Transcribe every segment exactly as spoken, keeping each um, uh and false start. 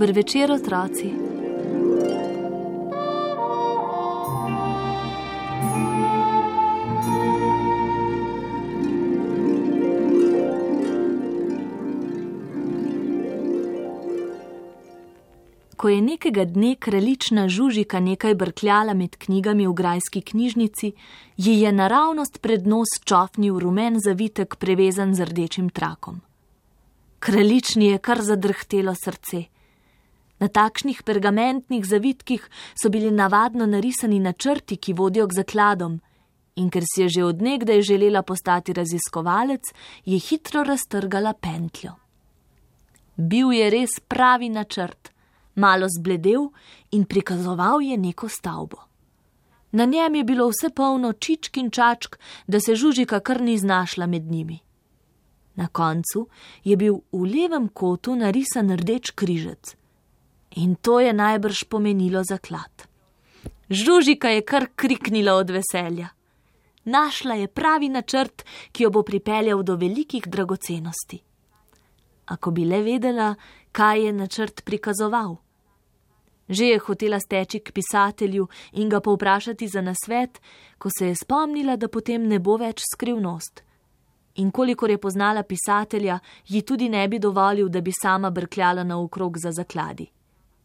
Dober večer, otroci. Ko je nekega dne kraljična Žužika nekaj brkljala med knjigami v grajski knjižnici, ji je naravnost pred nos čofnil rumen zavitek prevezan z rdečim trakom. Kraljični je kar zadrhtelo srce. Na takšnih pergamentnih zavitkih so bili navadno narisani načrti, ki vodijo k zakladom, in ker si je že od nekdaj želela postati raziskovalec, je hitro raztrgala pentljo. Bil je res pravi načrt, malo zbledel in prikazoval je neko stavbo. Na njem je bilo vse polno čičk in čačk, da se Žužika kar ni znašla med njimi. Na koncu je bil v levem kotu narisan rdeč križec. In to je najbrž pomenilo zaklad. Žužika je kar kriknila od veselja. Našla je pravi načrt, ki jo bo pripeljal do velikih dragocenosti. Ako bi le vedela, kaj je načrt prikazoval. Že je hotela steči k pisatelju in ga povprašati za nasvet, ko se je spomnila, da potem ne bo več skrivnost. In kolikor je poznala pisatelja, ji tudi ne bi dovolil, da bi sama brkljala naokrog za zakladi.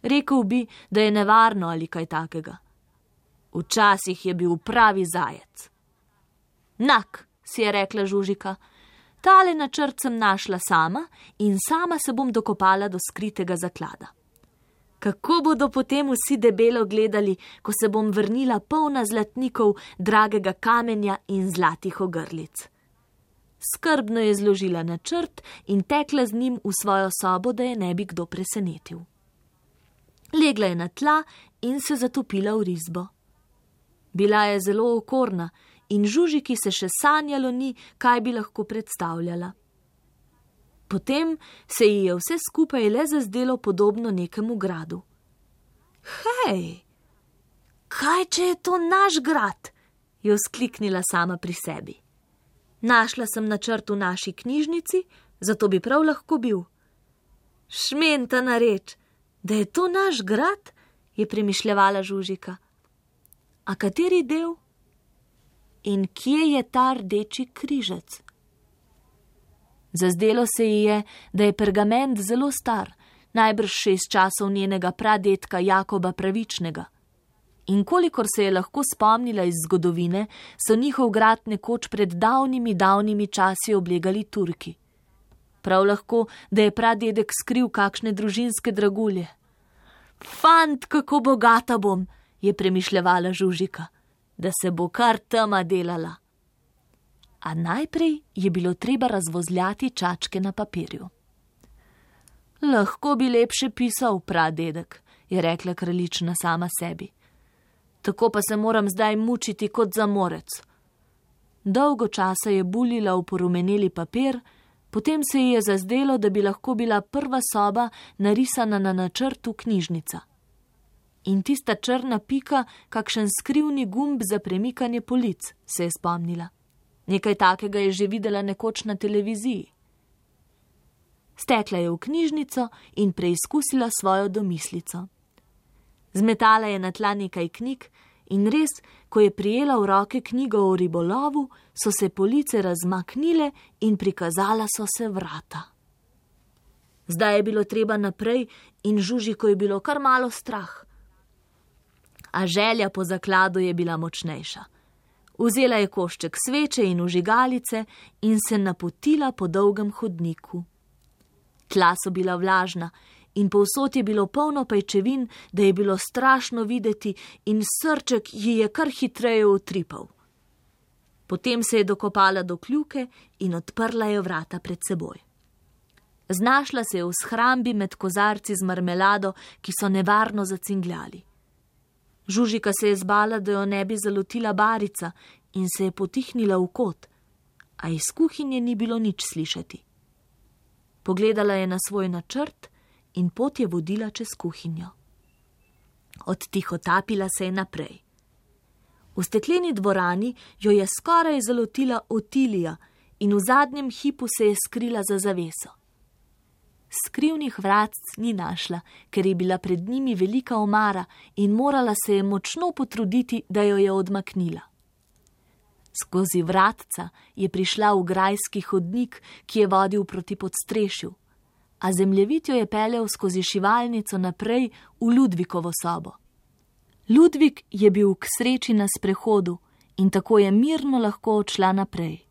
Rekel bi, da je nevarno ali kaj takega. Včasih je bil pravi zajec. Nak, si je rekla Žužika, tale načrt sem našla sama in sama se bom dokopala do skritega zaklada. Kako bodo potem vsi debelo gledali, ko se bom vrnila polna zlatnikov, dragega kamenja in zlatih ogrlic. Skrbno je zložila načrt in tekla z njim v svojo sobo, da je ne bi kdo presenetil. Legla je na tla in se zatopila v risbo. Bila je zelo okorna in Žužiki se še sanjalo ni, kaj bi lahko predstavljala. Potem se ji je vse skupaj le zazdelo podobno nekemu gradu. Hej, kaj če je to naš grad? Je vzkliknila sama pri sebi. Našla sem načrt v naši knjižnici, zato bi prav lahko bil. Šmentana reč, da je to naš grad, je premišljevala Žužika. A kateri del? In kje je ta rdeči križec? Zazdelo se ji je, da je pergament zelo star, najbrž šest časov njenega pradetka Jakoba Pravičnega. In kolikor se je lahko spomnila iz zgodovine, so njihov grad nekoč pred davnimi, davnimi časi oblegali Turki. Prav lahko, da je pradedek skril kakšne družinske dragulje. Fant, kako bogata bom, je premišljevala Žužika, da se bo kar tema delala. A najprej je bilo treba razvozljati čačke na papirju. Lahko bi lepše pisal, pradedek, je rekla kraljična sama sebi. Tako pa se moram zdaj mučiti kot zamorec. Dolgo časa je buljila v porumeneli papir, potem se ji je zazdelo, da bi lahko bila prva soba narisana na načrtu knjižnica. In tista črna pika, kakšen skrivni gumb za premikanje polic, se je spomnila. Nekaj takega je že videla nekoč na televiziji. Stekla je v knjižnico in preizkusila svojo domislico. Zmetala je na tla nekaj knjig in res, ko je prijela v roke knjigo o ribolovu, so se police razmaknile in prikazala so se vrata. Zdaj je bilo treba naprej in Žužiko je bilo kar malo strah. A želja po zakladu je bila močnejša. Vzela je košček sveče in vžigalice in se napotila po dolgem hodniku. Tla so bila vlažna in povsod je bilo polno pajčevin, da je bilo strašno videti in srček ji je kar hitreje utripal. Potem se je dokopala do kljuke in odprla je vrata pred seboj. Znašla se je v shrambi med kozarci z marmelado, ki so nevarno zacingljali. Žužika se je zbala, da jo ne bi zalotila barica in se je potihnila v kot, a iz kuhinje ni bilo nič slišati. Pogledala je na svoj načrt in pot je vodila čez kuhinjo. Odtihotapila se je naprej. V stekleni dvorani jo je skoraj zalotila Otilija in v zadnjem hipu se je skrila za zaveso. skrivnih vratc ni našla, ker je bila pred njimi velika omara in morala se je močno potruditi, da jo je odmaknila. Skozi vratca je prišla v grajski hodnik, ki je vodil proti podstrešju, a zemljevid jo je peljal skozi šivalnico naprej v Ludvikovo sobo. Ludvik je bil k sreči na sprehodu in tako je mirno lahko odšla naprej.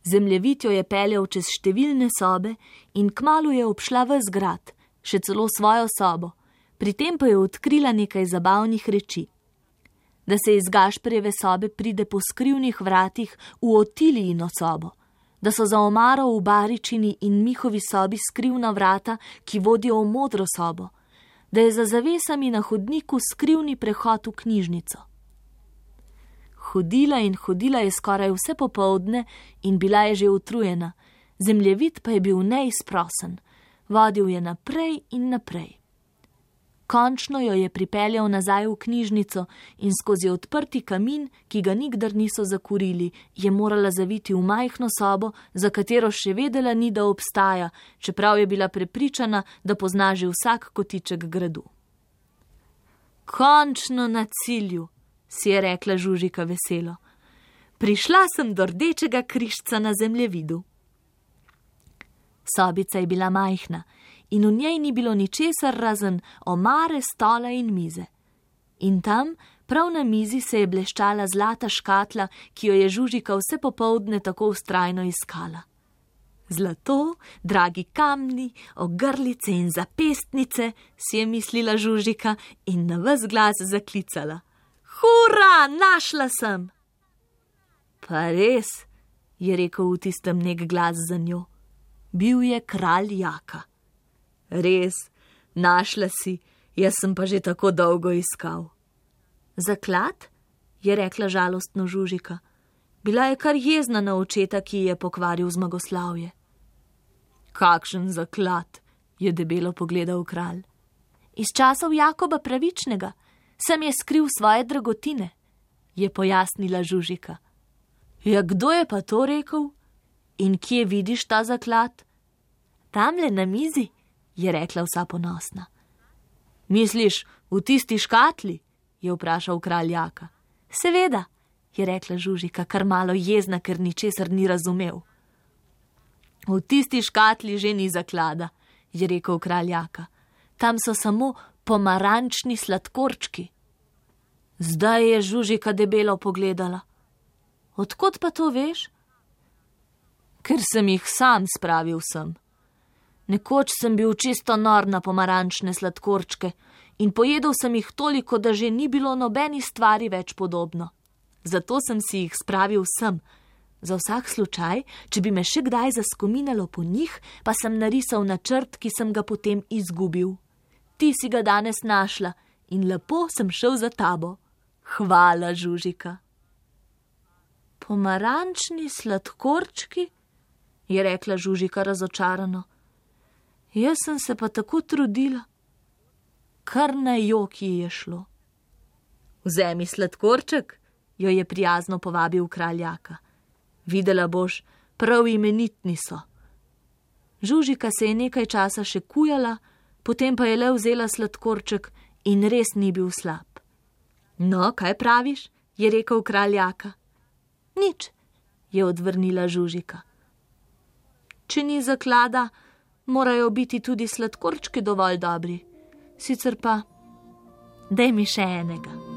Zemljevid jo je peljal čez številne sobe in kmalu je obšla ves grad, še celo svojo sobo, pri tem pa je odkrila nekaj zabavnih reči. Da se iz Gašperjeve sobe pride po skrivnih vratih v Otilijino sobo, da so za omaro v Baričini in Mihovi sobi skrivna vrata, ki vodijo v Modro sobo, da je za zavesami na hodniku skrivni prehod v knjižnico. Hodila in hodila je skoraj vse popoldne in bila je že utrujena, zemljevid pa je bil neizprosen, vodil je naprej in naprej. Končno jo je pripeljal nazaj v knjižnico in skozi odprti kamin, ki ga nikdar niso zakurili, je morala zaviti v majhno sobo, za katero še vedela ni, da obstaja, čeprav je bila prepričana, da pozna že vsak kotiček gradu. Končno na cilju, si je rekla Žužika veselo. Prišla sem do rdečega križca na zemljevidu. Sobica je bila majhna in v njej ni bilo ničesar razen omare, stola in mize. In tam, prav na mizi, se je bleščala zlata škatla, ki jo je Žužika vse popoldne tako vztrajno iskala. Zlato, dragi kamni, ogrlice in zapestnice, si je mislila Žužika in na ves glas zaklicala. Hura, našla sem! Pa res, je rekel v tistem nek glas za njo. Bil je kralj Jaka. Res, našla si, jaz sem pa že tako dolgo iskal. Zaklad? Je rekla žalostno Žužika. Bila je kar jezna na očeta, ki je pokvaril zmagoslavje. Kakšen zaklad, je debelo pogledal kralj. Iz časov Jakoba Pravičnega sem je skril svoje dragotine, je pojasnila Žužika. Ja, kdo je pa to rekel? In kje vidiš ta zaklad? Tamle na mizi, je rekla vsa ponosna. Misliš, v tisti škatli? Je vprašal kralj Jaka. Seveda, je rekla Žužika, kar malo jezna, ker ničesar ni razumel. V tisti škatli že ni zaklada, je rekel kralj Jaka. Tam so samo pomarančni sladkorčki. Zdaj je Žužika debelo pogledala. Odkot pa to veš? Ker sem jih sam spravil sem. Nekoč sem bil čisto nor na pomarančne sladkorčke in pojedel sem jih toliko, da že ni bilo nobeni stvari več podobno. Zato sem si jih spravil sem. Za vsak slučaj, če bi me še kdaj zaskominalo po njih, pa sem narisal načrt, ki sem ga potem izgubil. Ti si ga danes našla in lepo sem šel za tabo. Hvala, Žužika. Pomarančni sladkorčki? Je rekla Žužika razočarano. Jaz sem se pa tako trudila. Kar na jok ji je šlo. Vzemi sladkorček, jo je prijazno povabil kralj Jaka. Videla boš, prav imenitni so. Žužika se je nekaj časa še kujala, potem pa je le vzela sladkorček in res ni bil slab. No, kaj praviš? Je rekel kralj Jaka. Nič, je odvrnila Žužika. Če ni zaklada, morajo biti tudi sladkorčki dovolj dobri. Sicer pa, daj mi še enega.